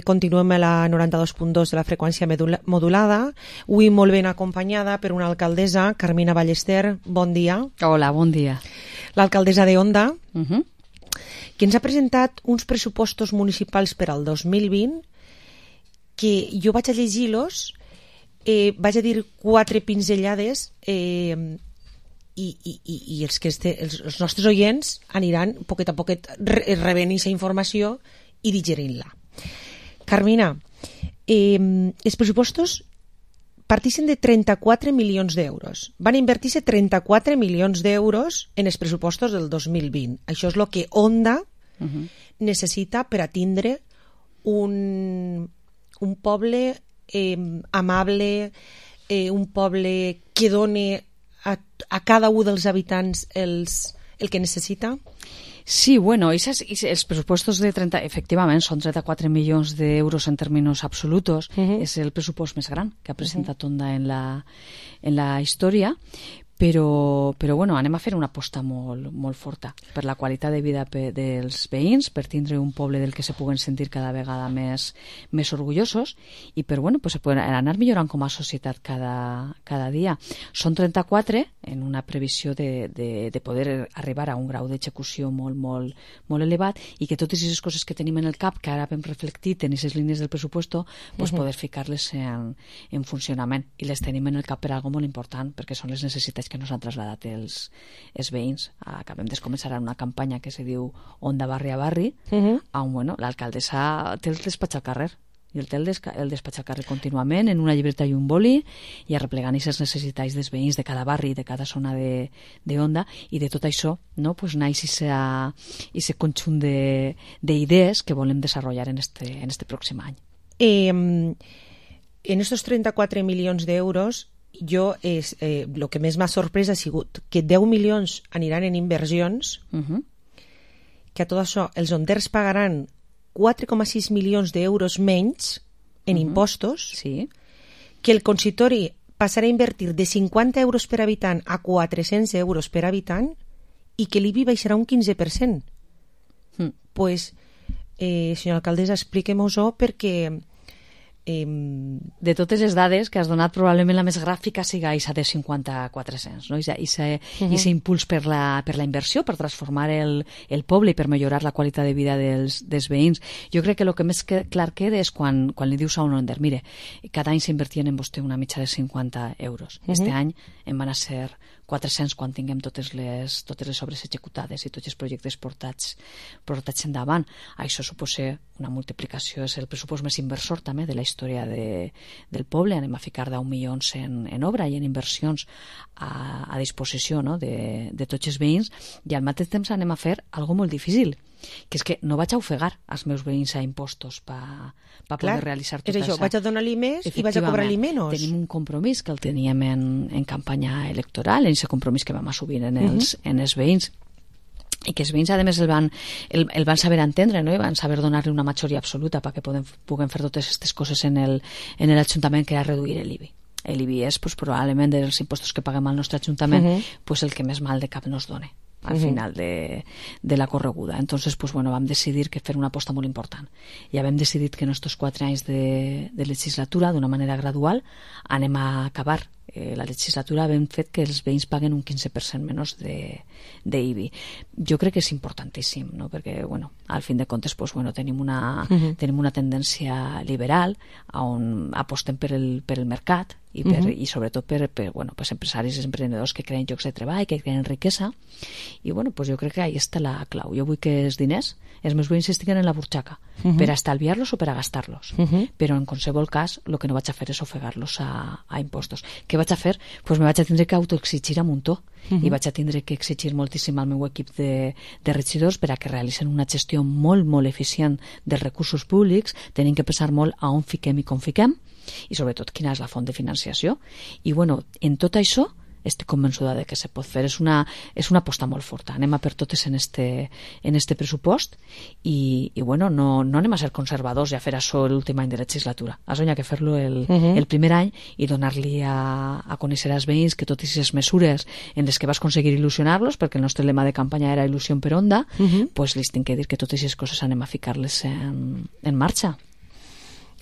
Continuem a la 92.2 de la freqüència modulada, avui molt ben acompanyada per una alcaldessa, Carmina Ballester. Bon dia. Hola, bon dia. L'alcaldessa de Onda, que ens ha presentat uns pressupostos municipals per al 2020 que jo vaig a llegir-los, vaig a dir 4 pinzellades i els nostres oients aniran poquet a poquet rebent aquesta informació i digerint-la. Carmina, els pressupostos partixen de 34 milions d'euros. Van invertir-se 34 milions d'euros en els pressupostos del 2020. Això és el que Onda necessita per a tindre un poble amable, un poble que doni a cada un dels habitants el que necessita. Sí, bueno, els pressupostos efectivament són 34 milions d'euros en termes absolutos. És el pressupost més gran que ha presentat Onda en la història. Però bueno, anem a fer una aposta molt forta per la qualitat de vida dels veïns, per tindre un poble del que se puguen sentir cada vegada més orgullosos i per anar millorant com a societat cada dia. Són 34 en una previsió de poder arribar a un grau d'execució molt elevat i que totes aquestes coses que tenim en el cap, que ara hem reflectit en aquestes línies del pressuposto, poder ficar-les en funcionament. I les tenim en el cap per algo molt important, perquè són les necessitats que nos han traslladat els veïns. Acabem de començar una campanya que se diu Onda Barri a Barri, on l'alcaldessa té el despatx al carrer i el té el despatx al carrer contínuament en una llibreta i un boli i arreplegant aquestes necessitats dels veïns de cada barri, de cada zona de Onda, i de tot això naix aquest conjunt d'idees que volem desenvolupar en este pròxim any. En estos 34 milions d'euros, el que més m'ha sorprès ha sigut que 10 milions aniran en inversions, que a tot això els onders pagaran 4,6 milions d'euros menys en impostos, que el consistori passarà a invertir de 50 euros per habitant a 400 euros per habitant i que l'IBI baixarà un 15%. Pues, senyora alcaldessa, expliquem-ho perquè de totes les dades que has donat, probablement la més gràfica siga aquesta de 50-400, no? Aquest impuls per la inversió, per transformar el poble i per millorar la qualitat de vida dels veïns. Jo crec que el que més clar queda és quan li dius a un onder, mire, cada any s'invertien en vostè una mitja de 50 euros. Este any en van a ser 400 quan tinguem totes les obres executades i tots els projectes portats endavant. Això suposa una multiplicació, és el pressupost més inversor també de la història del poble. Anem a ficar 10 milions en obra i en inversions a disposició de tots els veïns, i al mateix temps anem a fer algo molt difícil, que és que no vaig a ofegar els meus veïns a impostos per poder realitzar tot això. Vaig a donar-li més i vaig a cobrar-li menys. Tenim un compromís que el teníem en campanya electoral, en aquest compromís que vam assumir en els veïns, i que els veïns, a més, el van saber entendre, no? I van saber donar-li una majoria absoluta perquè puguem fer totes aquestes coses en l'Ajuntament, que era reduir l'IBI. L'IBI és probablement dels impostos que paguem al nostre Ajuntament el que més mal de cap nos dona al final de la correguda. Entonces, vam decidir que fer una aposta molt important. Ja vam decidir que en estos 4 anys de legislatura, d'una manera gradual, anem a acabar la legislatura havent fet que els veïns paguen un 15% menys d'IBI. Jo crec que és importantíssim, no? Perquè, al fin de comptes, tenim una tendència liberal on apostem per el mercat i sobretot per empresaris i emprenedors que creen llocs de treball, que creen riquesa, i jo crec que ahí està la clau. Jo vull que els diners, els meus veïns estiguen en la butxaca per a estalviar-los o per a gastar-los, però en qualsevol cas el que no vaig a fer és ofegar-los a impostos. Què vaig a fer? Me vaig a tindre que autoexigir a muntó i vaig a tindre que exigir moltíssim al meu equip de regidors per a que realitzen una gestió molt, molt eficient dels recursos públics. Tenim que pensar molt a on fiquem i com fiquem, i sobretot quina és la font de financiació. I en tot això estic convençuda de que se pot fer. És una aposta molt forta. Anem a per totes en este pressupost i bueno, no anem a ser conservadors i a fer això l'últim any de legislatura. Has que fer-lo el primer any i donar-li a conèixer als veïns que totes aquestes mesures en les que vas aconseguir il·lusionar-los, perquè el nostre lema de campanya era il·lusió per onda, pues li tinc que dir que totes aquestes coses anem a ficar-les en marxa.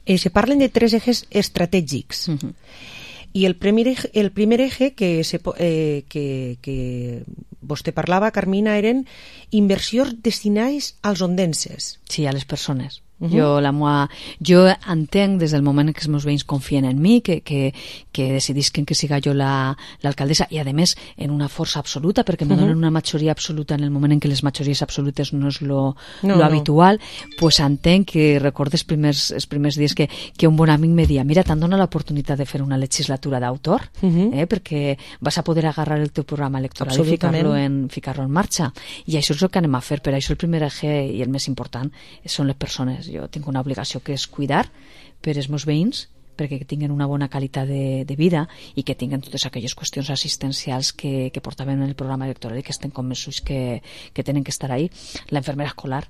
Se parlen de 3 ejes estratègics. I el primer eje que vostè parlava, Carmina, eren inversions destinades als ondenses. Sí, a les persones. Jo entenc des del moment que els meus veïns confien en mi, que decidisquen que siga jo l'alcaldessa, i a més en una força absoluta, perquè me donen una majoria absoluta en el moment en què les majories absolutes no és lo habitual, pues entenc que recordes els primers dies que un bon amic me dia, mira, t'han donat l'oportunitat de fer una legislatura d'autor, perquè vas a poder agarrar el teu programa electoral i ficar-lo en marxa, i això és el que anem a fer. Per això el primer eje i el més important són les persones. Jo tinc una obligació que és cuidar per els meus veïns, perquè tinguin una bona qualitat de vida i que tinguin totes aquelles qüestions assistencials que portaven en el programa electoral i que estem convençuts que tenen que estar ahí. L'enfermera escolar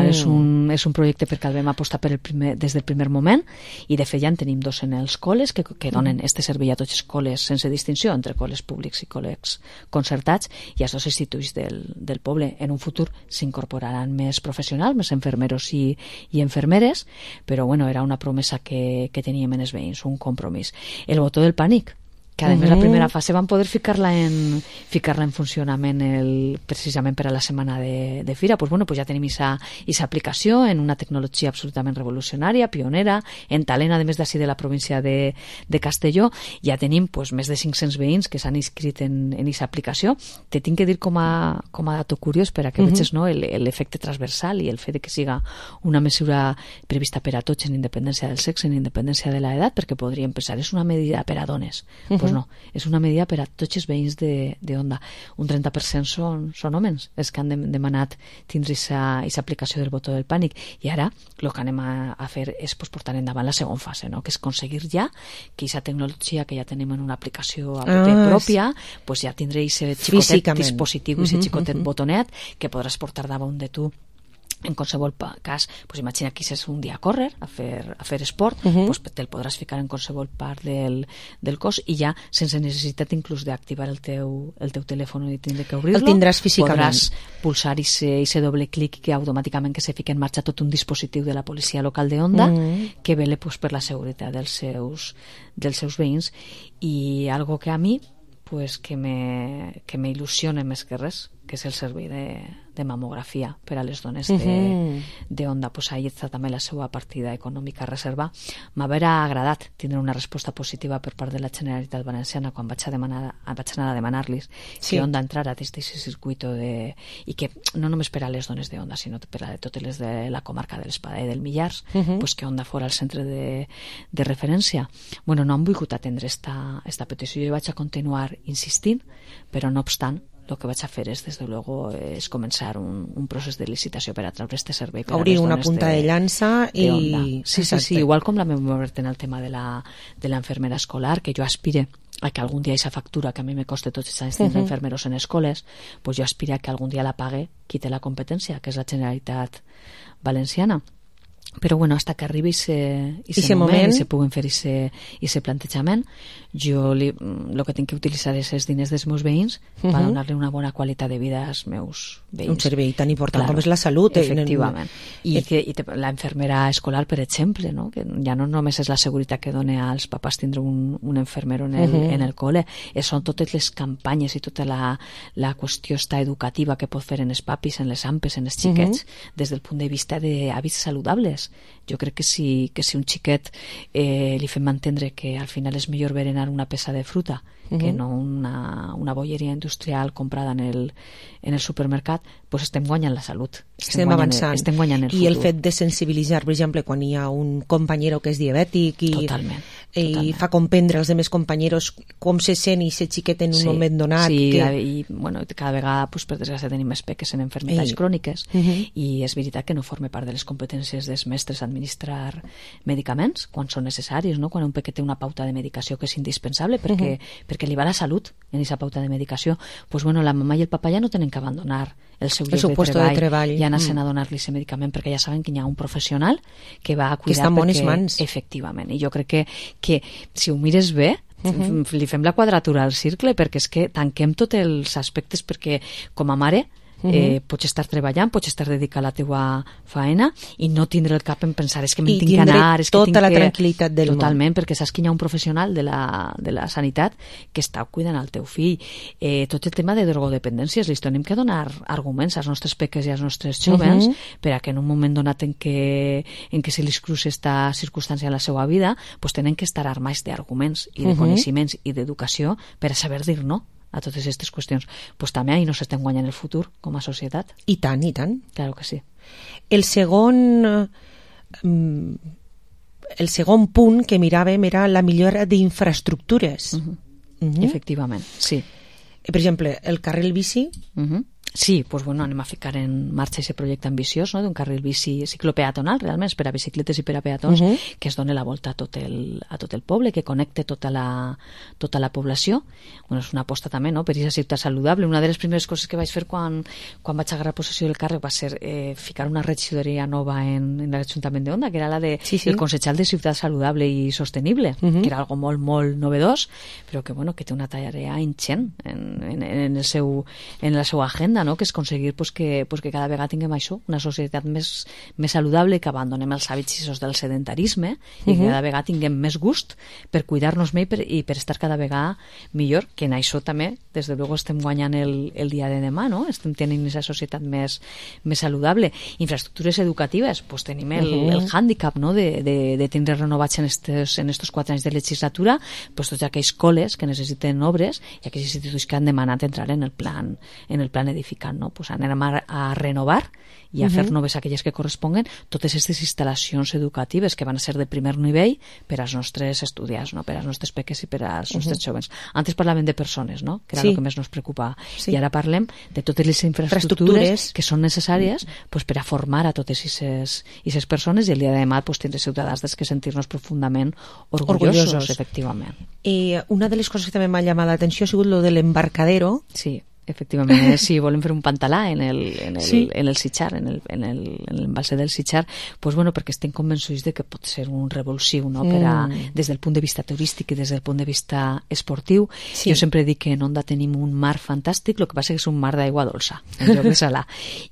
és un projecte perquè el vam apostar des del primer moment, i de fet ja en tenim 2 en els col·les que donen este servei a tots els col·les sense distinció entre col·les públics i col·les concertats, i als 2 instituts del poble. En un futur s'incorporaran més professionals, més infermeros i infermeres, però bueno, era una promesa que teníem en els veïns, un compromís. El botó del pànic, que a més la primera fase van poder ficar-la en funcionament precisament per a la setmana de fira. Pues bueno, pues ja tenim esa aplicació en una tecnologia absolutament revolucionària, pionera, en talent, a més d'ací de la província de Castelló. Ja tenim pues més de 500 veïns que s'han inscrit en esa aplicació. Te tinc que dir com a dato curiós per a que veges l'efecte transversal i el fet de que siga una mesura prevista per a tots en independència del sexe, en independència de l'edat, perquè podríem pensar, és una medida per a dones. Pues no, és una medida per a tots els veïns d'Onda. Un 30% són homes els que han demanat tindre aquesta aplicació del botó del pànic, i ara el que anem a fer és portar endavant la segona fase, no? Que és aconseguir ja que aquesta tecnologia que ja tenim en una aplicació pròpia, pues ja tindré aquest xicotet dispositiu, aquest xicotet botonet que podràs portar davant de tu en qualsevol cas. Pues imagina que és un dia a córrer, a fer esport, pues te'l podràs ficar en qualsevol part del cos i ja sense necessitat inclús d'activar el teu telèfon i tindre que obrir-lo. El tindràs físicament. Podràs pulsar ese doble clic que automàticament que se fica en marxa tot un dispositiu de la policia local d'Onda que vele pues, per la seguretat dels seus veïns, i algo que a mi pues, que me il·lusiona més que res, que és el servei de mamografia per a les dones d'Onda. Pues ahí està també la seva partida econòmica a reservar. M'haurà agradat tindre una resposta positiva per part de la Generalitat Valenciana quan vaig anar a demanar-los que Onda entrara des d'aquest circuit i que no només per a les dones d'Onda, sinó per a totes les de la comarca de l'Espada i del Millars, pues que Onda fora el centre de referència. Bueno, no han volgut atendre esta petició. Jo vaig a continuar insistint, però no obstant, el que vaig a fer és, des de luego, és començar un procés de licitació per a treure este servei per obrir a les una dones punta de llança i... Sí, igual com la meva obert en el tema de la enfermera escolar, que jo aspire a que algun dia aquesta factura que a mi me costa tots els anys tindre enfermeros en escoles, pues jo aspiro a que algun dia la pague qui té la competència, que és la Generalitat Valenciana. Però bueno, hasta que arribi ese moment i se puguen fer ese plantejament, jo el que tinc que utilitzar és els diners dels meus veïns per donar-li una bona qualitat de vida als meus veïns. Un servei tan important com és la salut. Efectivament. I la infermera escolar, per exemple, no? Que ja no només és la seguretat que dona als papàs tindre un infermero en el col·le, són totes les campanyes i tota la qüestió educativa que pot fer en els papis, en les ampes, en els xiquets, des del punt de vista d'hàbits saludables. Jo crec que si un xiquet li fem entendre que al final és millor berenar una peça de fruta que no una bolleria industrial comprada en el supermercat, pues estem guanyant la salut. Estem avançant. Estem guanyant el futur. I el fet de sensibilitzar, per exemple, quan hi ha un companyero que és diabètic i fa comprendre als altres companyeros com se sent i ser xiquet en un moment donat. Sí, i bueno, cada vegada, per desgràcia, tenim més peques en enfermetats cròniques, i és veritat que no forma part de les competències dels mestres a administrar medicaments quan són necessaris, no? Quan un peque té una pauta de medicació que és indispensable perquè li va la salut en aquesta pauta de medicació, pues bueno, la mamà i el papa ja no tenen que abandonar el seu lloc de treball i anar a donar-li aquest medicament perquè ja saben que hi ha un professional que va a cuidar, que està en bones mans. Efectivament, i jo crec que si ho mires bé li fem la quadratura al cercle, perquè és que tanquem tots els aspectes, perquè com a mare pots estar treballant, pots estar dedicat a la teua faena i no tindre el cap en pensar és que me'n tinc que anar, és que tota la tranquil·litat del món. Totalment, perquè saps que hi ha un professional de la sanitat que està cuidant el teu fill. Tot el tema de drogodependències, li tenim que donar arguments als nostres peques i als nostres jóvens per a que en un moment donat en què se li cruci esta circumstància en la seva vida, pues tenen que estar armats d'arguments i de coneixements i d'educació per a saber dir no a totes aquestes qüestions. Pues també ahí no s'estem guanyant el futur com a societat. I tant, i tant. Claro que sí. El segon punt que miràvem era la millora d'infraestructures. Efectivament, sí. Per exemple, el carril bici... Sí, pues bueno, anem a ficar en marxa aquest projecte ambiciós, no?, d'un carril bici ciclopeatonal, realment, per a bicicletes i per a peatons, que es doni la volta a tot el poble, que connecte tota la població. Bueno, és una aposta també, no?, per aquesta ciutat saludable. Una de les primeres coses que vaig fer quan vaig agarrar possessió del càrrec va ser ficar una regidoria nova en l'Ajuntament d'Onda, que era la de el Consellal de Ciutat Saludable i Sostenible, que era algo molt, molt novedós, però que, bueno, que té una tarea ingent en la seva agenda, no? Que és aconseguir que cada vegada tinguem això, una societat més saludable, que abandonem els hàbits del sedentarisme i que cada vegada tinguem més gust per cuidar-nos més i per estar cada vegada millor, que en això també, des de luego, estem guanyant el dia de demà, no? Estem tenint aquesta societat més saludable. Infraestructures educatives, pues tenim el hàndicap, no?, de tindre renovats en estos 4 anys de legislatura, pues tots aquells col·les que necessiten obres i aquells instituts que han demanat entrar en el plan edificant, no? Pues anem a renovar i a fer noves aquelles que corresponguen totes aquestes instal·lacions educatives que van a ser de primer nivell per als nostres estudiants, no?, per als nostres peques i per als nostres jóvens. Antes parlàvem de persones, no?, que era el que més nos preocupava. I ara parlem de totes les infraestructures que són necessàries pues, per a formar a totes aquestes persones, i el dia de demà pues, tindre ciutadans dels que sentir-nos profundament orgullosos. Efectivament. Una de les coses que també m'ha llamat l'atenció ha sigut lo de l'embarcadero. Sí. Efectivament, si volem fer un pantalà en el Sitxar, en l'embalse del Sitxar, pues bueno, perquè estem convençuts de que pot ser un revulsiu, no?, des del punt de vista turístic i des del punt de vista esportiu. Jo sempre dic que en Onda tenim un mar fantàstic, el que passa és un mar d'aigua dolça, en lloc de salà.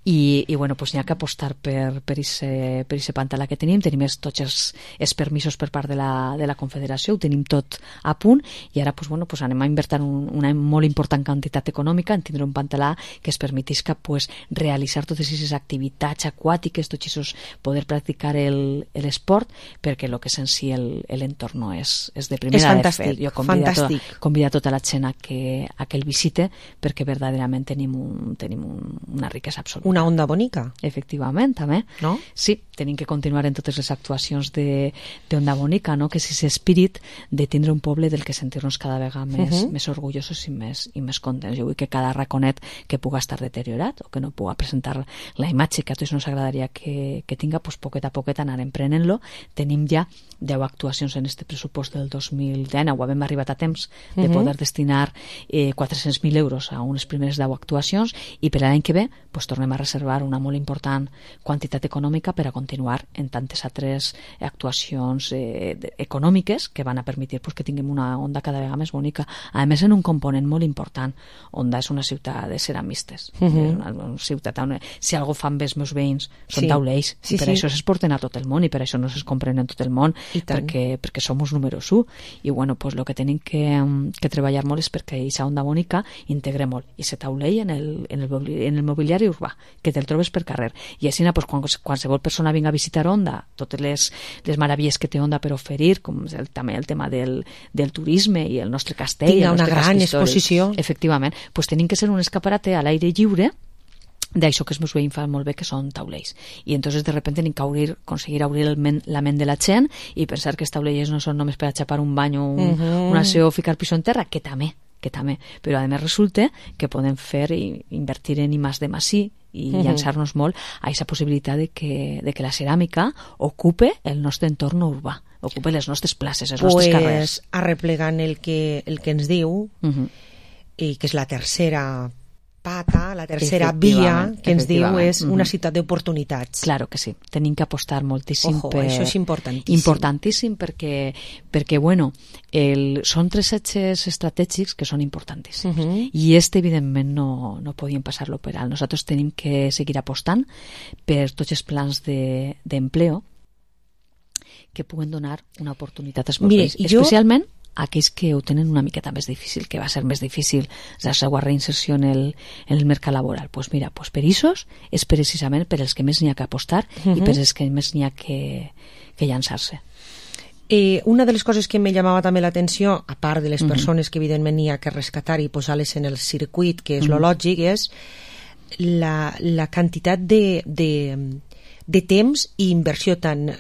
I bueno, pues n'hi ha que apostar per ese pantalà que tenim tots els permisos per part de la Confederació, ho tenim tot a punt, i ara pues bueno, pues anem a invertir una molt important quantitat econòmica en tindre un pantalà que es permetisca pues, realitzar totes aquestes activitats aquàtiques, tots aquests, poder practicar l'esport, perquè el que és en si l'entorn és de primera de fer. Jo convido a tota la gent a que el visite, perquè verdaderament tenim una riquesa absoluta. Una onda bonica. Efectivament, també. No? Sí, tenim que continuar en totes les actuacions d'Onda Bonica, no?, que és aquest espírit de tindre un poble del que sentir-nos cada vegada més orgullosos i més contents. Jo vull que cada raconet que puga estar deteriorat o que no puga presentar la imatge que a tots ens agradaria que tinga, pues poquet a poquet anar emprenent-lo. Tenim ja 10 actuacions en este pressupost del 2019, ho hem arribat a temps de poder destinar 400.000 euros a unes primeres 10 actuacions, i per l'any que ve pues, tornem a reservar una molt important quantitat econòmica per a continuar en tantes altres actuacions econòmiques que van a permetre pues, que tinguem una Onda cada vegada més bonica. A més, en un component molt important. Onda és una ciutat de ceramistes, una ciutat on si algo fan bé els meus veïns són taulells, i per això s'exporten a tot el món i per això no es compren en tot el món, perquè som els números 1, i bueno, pues, el que tenim que treballar molt és perquè aquesta Onda Bonica integre molt i se taulell en el mobiliari urbà, que te'l trobes per carrer, i així pues, qualsevol persona vinga a visitar Onda, totes les meravilles que té Onda per oferir, com també el tema del turisme i el nostre castell, tinga una gran exposició. Efectivament, pues tenim que ser un escaparate a l'aire lliure d'això que els meus veïns fan molt bé, que són taulells. I entonces de repente tenim que aconseguir obrir la ment de la gent i pensar que els taulells no són només per a xapar un bany o un aseo o ficar piso en terra, que que també. Però a més resulta que podem fer i invertir en I+D+I i llançar-nos molt a aquesta possibilitat de que la ceràmica ocupe el nostre entorn urbà, ocupe les nostres places, els nostres carrers. Arreplegant el que ens diu, i que és la tercera pata, la tercera via que ens diu és una ciutat d'oportunitats. Claro que sí, tenim que apostar moltíssim. Ojo, això és importantíssim. Importantíssim perquè bueno, són 3 eixos estratègics que són importantíssims. I evidentment, no podíem passar-lo per alt. Nosaltres tenim que seguir apostant per tots els plans d'empleo que puguen donar una oportunitat als meus veïns. Especialment aquells que ho tenen una miqueta més difícil, que va ser més difícil la seva reinserció en el mercat laboral. Pues mira, per issos és precisament per els que més n'hi ha que apostar i per els que més n'hi ha que llançar-se. Una de les coses que me llamava també l'atenció, a part de les persones que evidentment n'hi ha que rescatar i posar-les en el circuit, que és lo lògic, és la quantitat de temps i inversió tant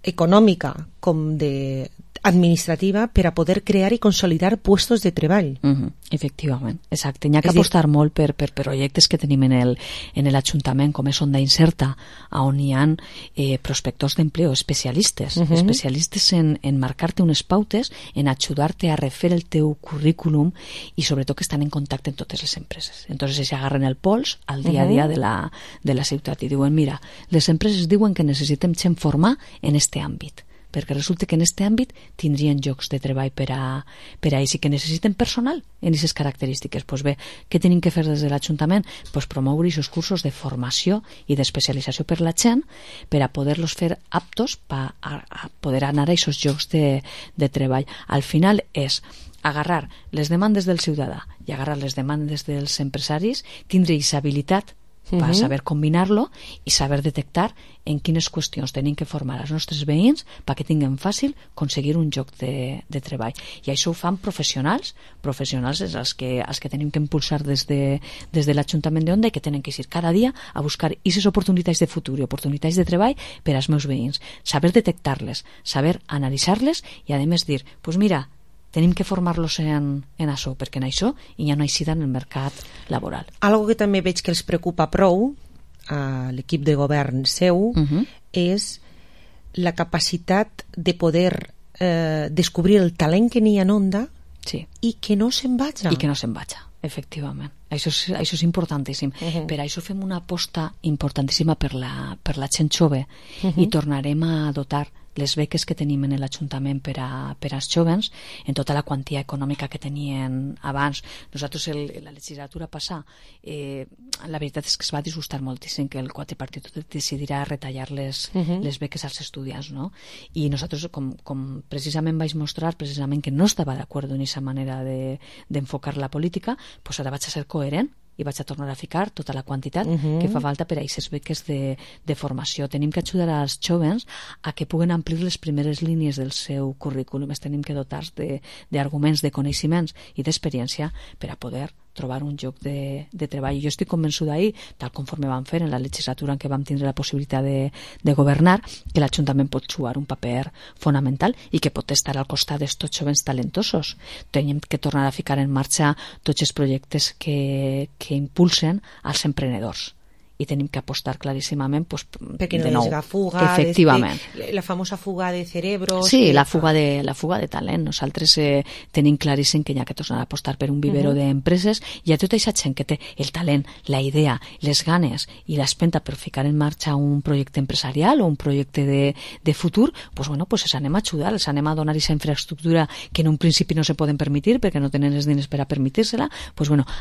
econòmica com administrativa per a poder crear i consolidar puestos de treball. Efectivament, exacte. N'hi ha que apostar molt per projectes que tenim en l'Ajuntament, com és Onda Inserta, on hi ha prospectors d'empleo, especialistes en marcar-te unes pautes, en ajudar-te a refer el teu currículum i sobretot que estan en contacte amb totes les empreses. Entonces s'agarren el pols al dia a dia de la ciutat i diuen, mira, les empreses diuen que necessitem gent formar en este àmbit, perquè resulta que en aquest àmbit tindrien llocs de treball per a ells i que necessiten personal en aquestes característiques. Pues bé, què tenim que fer des de l'Ajuntament? Pues promoure aquests cursos de formació i d'especialització per la gent per a poder-los fer aptos a poder anar a aquests llocs de treball. Al final és agarrar les demandes del ciutadà i agarrar les demandes dels empresaris, tindre aquesta habilitat per saber combinar-lo i saber detectar en quines qüestions tenim que formar els nostres veïns perquè tinguem fàcil aconseguir un lloc de treball. I això ho fan professionals és els que tenim que impulsar des de l'Ajuntament d'Onda i que tenen que ir cada dia a buscar aquestes oportunitats de futur i oportunitats de treball per als meus veïns. Saber detectar-les, saber analitzar-les i a més dir, pues mira, tenim que formar-los en això, perquè en això hi ha una eixida en el mercat laboral. Algo que també veig que els preocupa prou a l'equip de govern seu és la capacitat de poder descobrir el talent que n'hi ha en Onda i que no se'n vaja. I que no se'n vaja, efectivament. Això és importantíssim. Per això fem una aposta importantíssima per la gent jove i tornarem a dotar les beques que tenim en l'Ajuntament per als jovens en tota la quantia econòmica que tenien abans. Nosaltres la legislatura passada la veritat és que es va disgustar moltíssim que el quadripartit decidirà retallar les beques als estudiants, no? I nosaltres, com precisament vaig mostrar precisament que no estava d'acord en aquesta manera d'enfocar la política, doncs ara vaig a ser coherent i vaig a tornar a ficar tota la quantitat que fa falta per a aquestes beques de formació. Tenim que ajudar als jovens a que puguen amplir les primeres línies del seu currículum. Es tenim que dotar d'arguments, de coneixements i d'experiència per a poder trobar un lloc de treball. Jo estic convençuda ahir, tal conforme vam fer en la legislatura en què vam tindre la possibilitat de governar, que l'Ajuntament pot jugar un paper fonamental i que pot estar al costat d'estos jovens talentosos. Tenim que tornar a ficar en marxa tots els projectes que impulsen als emprenedors. I tenim que apostar claríssimament perquè no de nou. És la fuga, efectivament. La famosa fuga de cerebros. Sí, la fuga de talent. Nosaltres tenim claríssim que hi ha que tornar a apostar per un vivero d'empreses i a tota aquesta gent que té el talent, la idea, les ganes i l'espenta per ficar en marxa un projecte empresarial o un projecte de futur, pues els anem a ajudar, els anem a donar aquesta infraestructura que en un principi no se poden permetir perquè no tenen els diners per a permetir-se-la,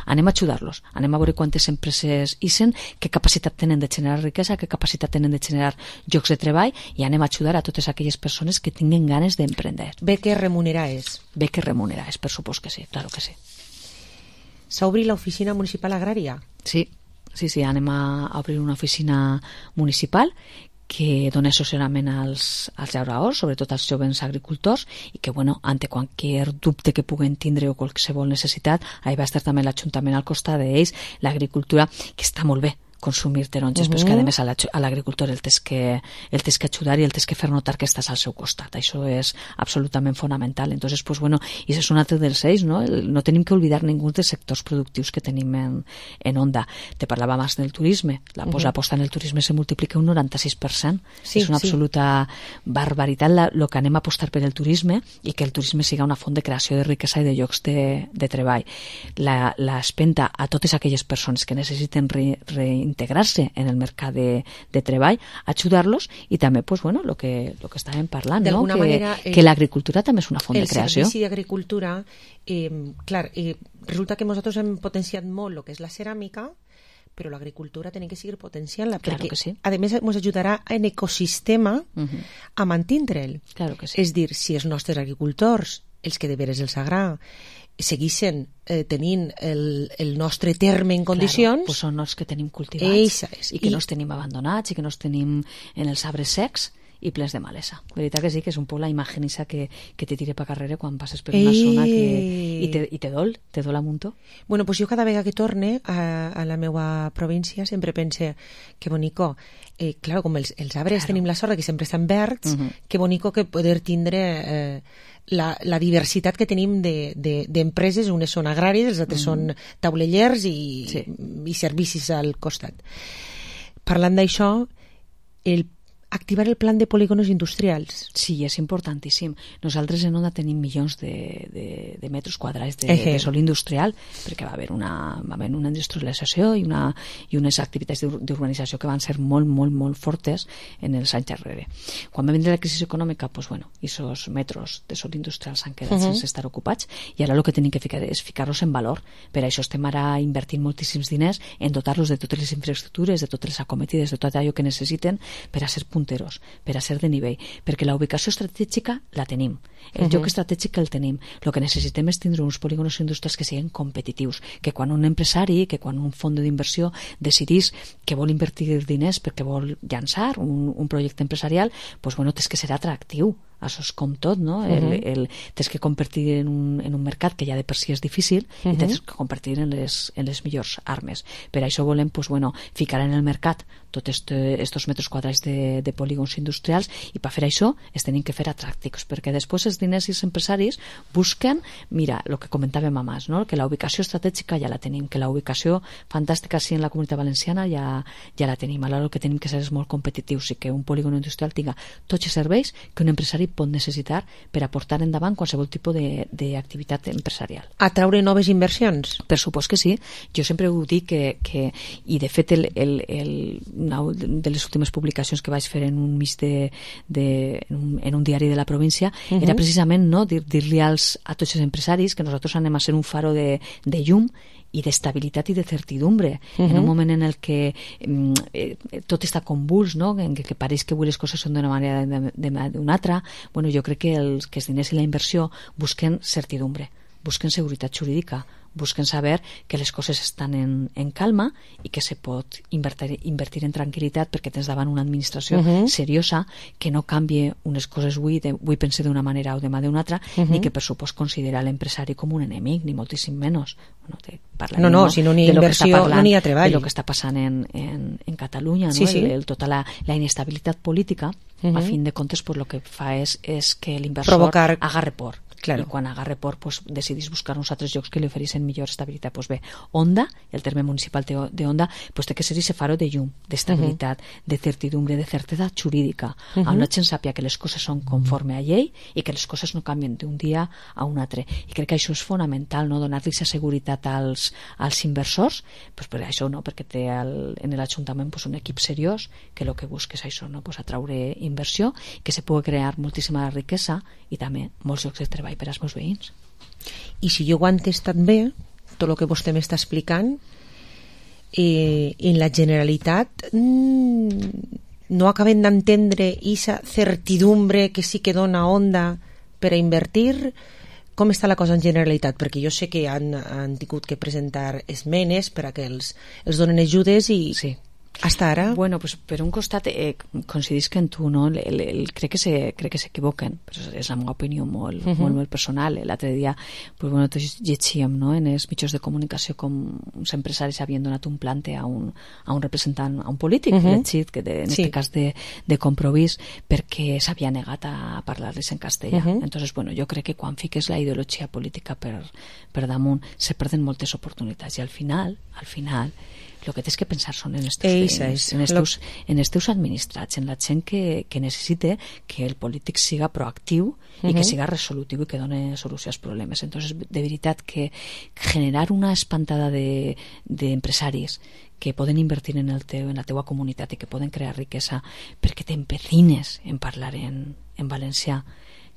anem a ajudar-los, anem a veure quantes empreses hisen, què capacitat tenen de generar riquesa, què capacitat tenen de generar llocs de treball i anem a ajudar a totes aquelles persones que tinguen ganes d'emprendre. Beques remunerades. Beques remunerades, per supost que sí, claro que sí. S'ha obrit l'oficina municipal agrària? Sí, anem a obrir una oficina municipal que dona assessorament als llauradors, sobretot als jovens agricultors, i que, ante qualsevol dubte que puguen tindre o qualsevol necessitat, ahí va estar també l'Ajuntament al costat d'ells, l'agricultura, que està molt bé, consumir taronges, però és que a més a l'agricultor el tens que ajudar i el tens que fer notar que estàs al seu costat. Això és absolutament fonamental. Entonces, pues bueno, i és un altre dels eixos, no? No tenim que oblidar ningú dels sectors productius que tenim en Onda. Te parlava abans del turisme. L'aposta en el turisme se multiplica un 96%. Sí, és una absoluta barbaritat el que anem a apostar per el turisme i que el turisme siga una font de creació de riquesa i de llocs de treball. L'espenta a totes aquelles persones que necessiten reintegrar-se en el mercat de treball, ajudar-los i també, pues, bueno, lo que estàvem parlant, no? Que l'agricultura també és una font de creació. El servici d'agricultura, clar, resulta que nosaltres hem potenciat molt el que és la ceràmica, però l'agricultura tenim que seguir potenciant-la, claro perquè, sí. A més, ens ajudarà en ecosistema a mantindre'l. Claro que sí. És dir, si els nostres agricultors, els que de veres els agrada, seguissin tenint el nostre terme en condicions... Claro, pues són els que tenim cultivats i que no els tenim abandonats i que no els tenim en els arbres secs i plens de malesa. La veritat que sí, que és un poc la imatge que te tira per carrera quan passes per una zona i te dol a muntó. Bueno, pues jo cada vegada que torne a la meva província sempre pense que bonico, claro, com els arbres tenim la sort que sempre estan verds, que bonico que poder tindre la diversitat que tenim d'empreses, unes són agràries, les altres són taulellers i servicis al costat. Parlant d'això, activar el plan de polígonos industrials. Sí, és importantíssim. Nosaltres en Onda tenim milions de metres quadrats de sòl industrial, perquè va haver una industrialització i unes activitats d'urbanització que van ser molt, molt, molt fortes en els anys darrere. Quan va vindre la crisi econòmica, pues bueno, aquests metres de sòl industrial s'han quedat sense estar ocupats i ara el que tenim que fer és ficar-los en valor. Per això estem ara invertint moltíssims diners en dotar-los de totes les infraestructures, de totes les acometides, de tot allò que necessiten per a ser punteros, per a ser de nivell, perquè la ubicació estratègica la tenim, el lloc estratègic el tenim. El que necessitem és tindre uns polígonos industrials que siguin competitius, que quan un empresari, que quan un fons d'inversió decidís que vol invertir diners perquè vol llançar un projecte empresarial, pues bueno, tens que ser atractiu. Això és com tot, no? Tens que competir en un mercat que ja de per si és difícil i tens que competir en les millors armes. Per això volem, pues bueno, ficar en el mercat tots estos metres quadrats de polígons industrials i per fer això es tenen que fer atractius, perquè després els diners i els empresaris busquen, mira, el que comentàvem abans, no? Que la ubicació estratègica ja la tenim, que la ubicació fantàstica sí en la Comunitat Valenciana ja la tenim. Alhora el que tenim que ser és molt competitius i que un polígon industrial tinga tots els serveis que un empresari pot necessitar per a portar endavant qualsevol tipus d'activitat empresarial. Atraure noves inversions? Per supost que sí. Jo sempre ho dic que i de fet una de les últimes publicacions que vaig fer en un mig en un diari de la província era precisament dir-li a tots els empresaris que nosaltres anem a ser un faro de llum i d'estabilitat i de certidumbre en un moment en el que tot està convuls, no? En que pareix que avui les coses són d'una manera d'una altra. Bueno, jo crec que els diners i la inversió busquen certidumbre, busquen seguretat jurídica, busquen saber que les coses estan en calma i que se pot invertir en tranquil·litat perquè tens davant una administració seriosa que no canvie unes coses avui pense d'una manera o demà d'una altra, ni que per supost considera l'empresari com un enemic, ni moltíssim menys. No, si no n'hi ha inversió no n'hi ha treball. De lo que està passant en Catalunya, no? Tota la inestabilitat política, a fin de comptes, pues, lo que fa és que l'inversor agarre por. Claro. I quan agarre por, pues, decidís buscar uns altres llocs que li oferissin millor estabilitat. Pues bé, Onda, el terme municipal de Onda, pues té que ser ese faro de llum, d'estabilitat, de certidumbre, de certesa jurídica, on la gent sàpia que les coses són conforme a llei i que les coses no canvien d'un dia a un altre. I crec que això és fonamental, no? Donar-li aquesta seguretat als inversors, pues per això, no? Perquè té en l'Ajuntament pues, un equip seriós que el que busca és això, no? Pues atraure inversió, que se pugui crear moltíssima riquesa i també molts llocs de treball per als meus veïns. I si jo ho he entès tan bé, tot el que vostè m'està explicant, en la Generalitat no acabem d'entendre aquesta certidumbre que sí que dona Onda per a invertir. Com està la cosa en Generalitat? Perquè jo sé que han tingut que presentar esmenes per a que els donen ajudes i... Sí. Hasta ara? Bueno, pues per un costat coincidisc en tu, no? Crec que s'equivoquen, però és la meva opinió molt personal. L'altre dia, pues bueno, tots llegíem, no?, en els mitjans de comunicació com uns empresaris havien donat un plante a un representant, a un polític, elegit, que en aquest cas de Compromís, perquè s'havia negat a parlar-les en castellà. Entonces, bueno, jo crec que quan fiques la ideologia política per damunt se perden moltes oportunitats i al final el que tens que pensar són en els teus veïns, en els teus administrats, en la gent que necessita que el polític siga proactiu i que siga resolutiu i que doni solució als problemes. Entonces, de veritat que generar una espantada d'empresaris que poden invertir en la teua comunitat i que poden crear riquesa perquè t'empecines en parlar en valencià,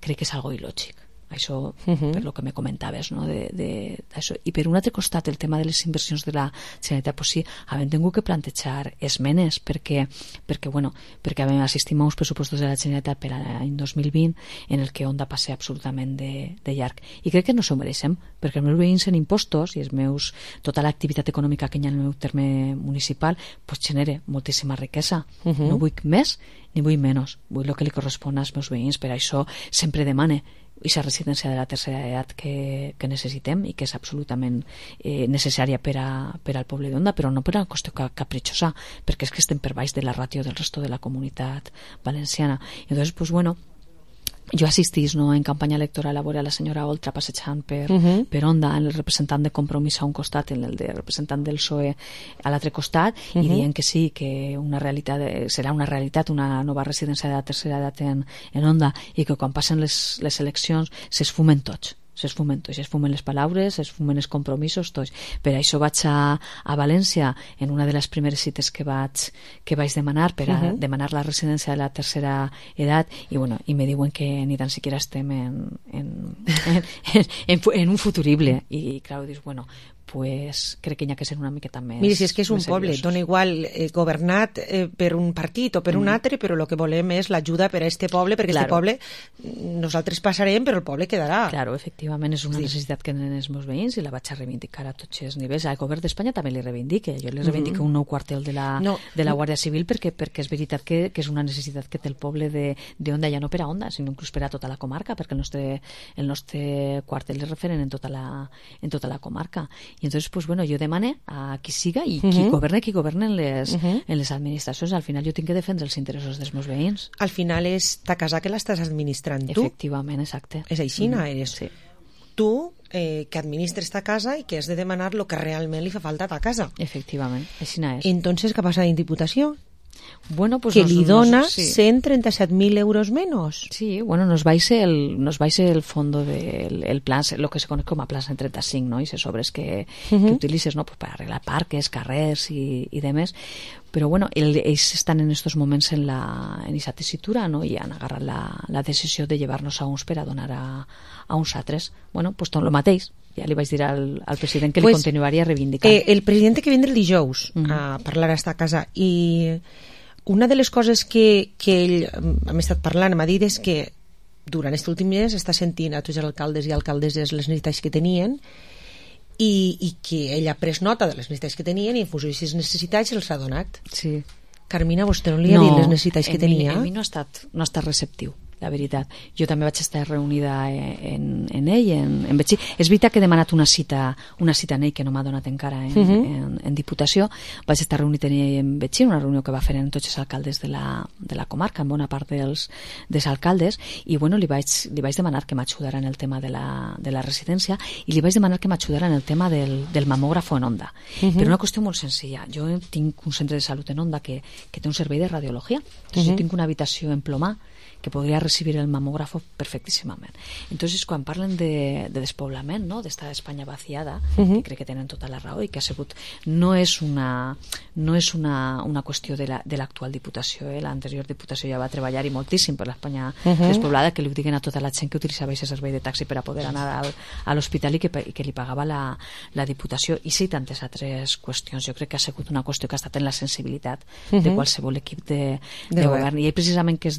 crec que és algo il·lògic. Això per lo que me comentaves, no? Això. I per un altre costat el tema de les inversions de la Generalitat, pues sí, hem tingut que plantejar esmenes perquè assistim a uns pressupostos de la Generalitat per a l'any 2020 en el que Onda passa absolutament de llarg, i crec que no s'ho mereixem, perquè els meus veïns en impostos i tota l'activitat econòmica que hi ha en el meu terme municipal pues genera moltíssima riquesa. No vull més ni vull menys, vull el que li correspon als meus veïns. Per això sempre demane aquesta residència de la tercera edat que necessitem i que és absolutament necessària per al poble d'Onda, però no per una qüestió capritxosa, perquè és que estem per baix de la ràtio del resto de la comunitat valenciana. I llavors, pues bueno, jo assistís, no, en campanya electoral a veure a la senyora Oltra passejant per Onda, el representant de Compromís a un costat i el representant del PSOE a l'altre costat, i dient que sí, que serà una realitat una nova residència de la tercera edat en Onda, i que quan passen les eleccions s'esfumen tots, s'esfumen les paraules, s'esfumen els compromisos, tots. Per això vaig a València en una de les primeres cites que vaig demanar per a demanar la residència de la tercera edat, i me diuen que ni tan siquiera estem en un futurible, i clar, dius, bueno, pues crec que hi ha que ser una miqueta més. Mira, si és que és un poble, dona igual governat per un partit o per un altre, però el que volem és l'ajuda per a este poble, perquè este poble nosaltres passarem, però el poble quedarà. Claro, efectivament és una necessitat que tenen els meus veïns i la vaig a reivindicar a tots els nivells. Al govern d'Espanya també li reivindique. Jo li reivindico un nou quartel de la Guàrdia Civil perquè és veritat que és una necessitat que té el poble d'Onda, ja no per a Onda, sinó inclús per a tota la comarca, perquè el nostre quartel és referent en tota la comarca. I entonces, pues bueno, jo demane a qui siga i qui governe en les administracions. Al final jo tinc que defendre els interessos dels meus veïns. Al final és ta casa que l'estàs administrant tu. Efectivament, exacte. És així, eres tu que administres ta casa i que has de demanar el que realment li fa falta a ta casa. Efectivament, així és. Entonces, què passa en Diputació? Bueno, pues que li dona 137.000 euros menos. Sí, bueno, nos vais el fondo del plan, lo que se conoce como plan 135, ¿no? Y esos sobres que utilices, ¿no? Pues para arreglar parques, carrers y demás. Pero bueno, ells estan en estos moments en esa tesitura, no? I han agarrat la decisió de llevar-nos a uns per a donar a uns altres. Bueno, pues tot el mateix. Ja li vaig dir al president que li continuaria reivindicant. El president que vindrà el dijous a parlar a esta casa, i una de les coses que ell hem estat parlant, m'ha dit, és que durant aquest últim mes està sentint a tots els alcaldes i alcaldesses les necessitats que tenien i que ell ha pres nota de les necessitats que tenien i en funció de aquestes necessitats els ha donat. Sí. Carmina, vostè no li ha dit les necessitats que tenia? A mi no ha estat receptiu, la veritat. Jo també vaig estar reunida en ell, en Betxí. És veritat que he demanat una cita en ell que no m'ha donat encara en Diputació. Vaig estar reunit en ell en Betxí, una reunió que va fer en tots els alcaldes de la comarca, en bona part dels alcaldes, i bueno, li vaig demanar que m'ajudara en el tema de la residència, i li vaig demanar que m'ajudara en el tema del mamògrafo en Onda. Per una qüestió molt senzilla. Jo tinc un centre de salut en Onda que té un servei de radiologia. Jo tinc una habitació en Plomà que podria recibir el mamògrafo perfectíssimament. Entonces, quan parlen de despoblament, no?, d'esta Espanya vaciada, que crec que tenen tota la raó i que ha sigut... No és una qüestió de l'actual Diputació. L'anterior Diputació ja va treballar i moltíssim per l'Espanya despoblada, que li ho diguen a tota la gent que utilitzava aquest servei de taxi per a poder anar a l'hospital i que li pagava la Diputació. I sí, tantes altres qüestions. Jo crec que ha sigut una qüestió que ha estat en la sensibilitat de qualsevol equip de govern. I ell, precisament, que és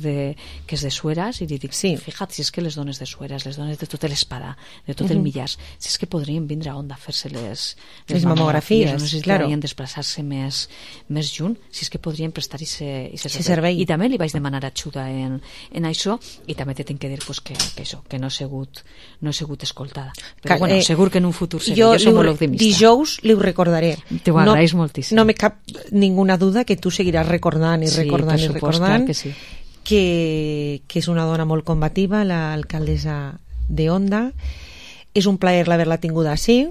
de Suera, Sueras, i li dic, fija't, si és que les dones de Sueras, les dones de tot l'Espadà, de tot el Millars, si és que podrien vindre a Onda a fer-se les mamografies, no necessitarien desplaçar-se més junt, si és que podrien prestar aquest servei. I també li vaig demanar ajuda en això, i també te tinc que dir pues, que això, que no he sigut escoltada. Però bueno, segur que en un futur seré. Jo som molt optimista. Dijous li ho recordaré. Te ho agraeix moltíssim. No me cap ninguna duda que tu seguiràs recordant i recordant i recordant que sí. Que és una dona molt combativa, l'alcaldessa de Onda. És un plaer l'haver-la tinguda així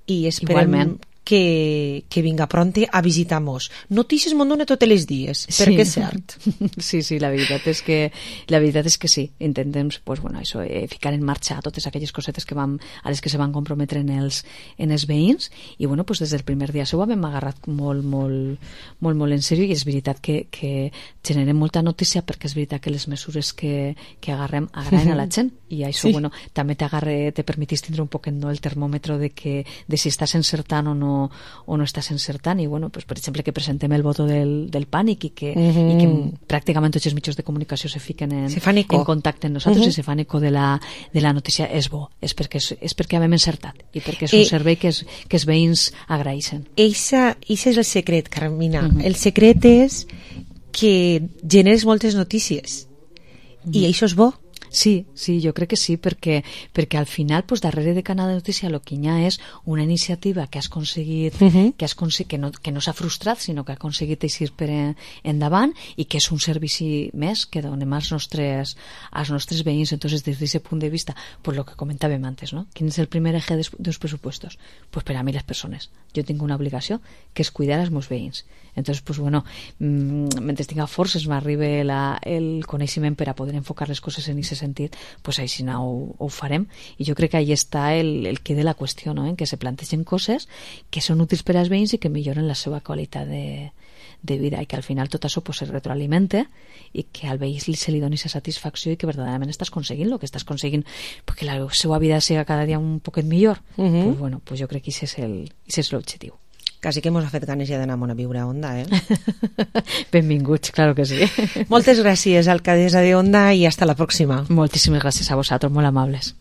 i esperem que vinga pronte a visitar-nos. Notícies me'n dona tots els dies, perquè és cert. Sí, la veritat és que sí. Intentem pues, bueno, això, ficar en marxa totes aquelles cosetes a les que se van comprometre en els veïns, i bueno, pues, des del primer dia seu hem agarrat molt en sèrio, i és veritat que generem molta notícia, perquè és veritat que les mesures que agarrem agraden a la gent, i això bueno, també te permetís tindre un poquet el termòmetre de si estàs encertant o no estàs encertant, i bueno, pues, per exemple que presentem el voto del pànic i que pràcticament tots els mitjans de comunicació se fiquen en contacte amb nosaltres i se fan eco de la notícia. És bo, és perquè hem encertat i perquè és un servei que els veïns agraeixen. Eixa és el secret, Carmina. El secret és que generes moltes notícies i això és bo. Sí, jo crec que sí, perquè al final, pues, darrere de Canal de Notícia el que hi ha és una iniciativa que has aconseguit, que no s'ha frustrat, sinó que ha aconseguit eixir per endavant, i que és un servici més que donem als nostres veïns. Entonces, des d'aquest punt de vista, pues lo que comentàvem antes, ¿no? Quin és el primer eje dels pressupostos? Pues per a mi les persones. Jo tinc una obligació, que és cuidar els meus veïns. Entonces, pues bueno, mentre tinga forces m'arribe el coneixement per a poder enfocar les coses en aquest sentit, pues així ho farem, i jo crec que ahí està el que de la qüestió, no? En que se plantegen coses que són útils per als veïns i que milloren la seva qualitat de vida, i que al final tot això pues, se retroalimenta, i que al veí se li doni aquesta satisfacció i que verdaderament estàs aconseguint el que estàs aconseguint, perquè la seva vida sigui cada dia un poquet millor. Pues bueno, pues jo crec que aquest és l'objectiu. Quasi que mos ha fet ganes ja d'anar a viure a Onda, Benvinguts, claro que sí. Moltes gràcies, alcaldessa de Onda, i hasta la pròxima. Moltíssimes gràcies a vosaltres, molt amables.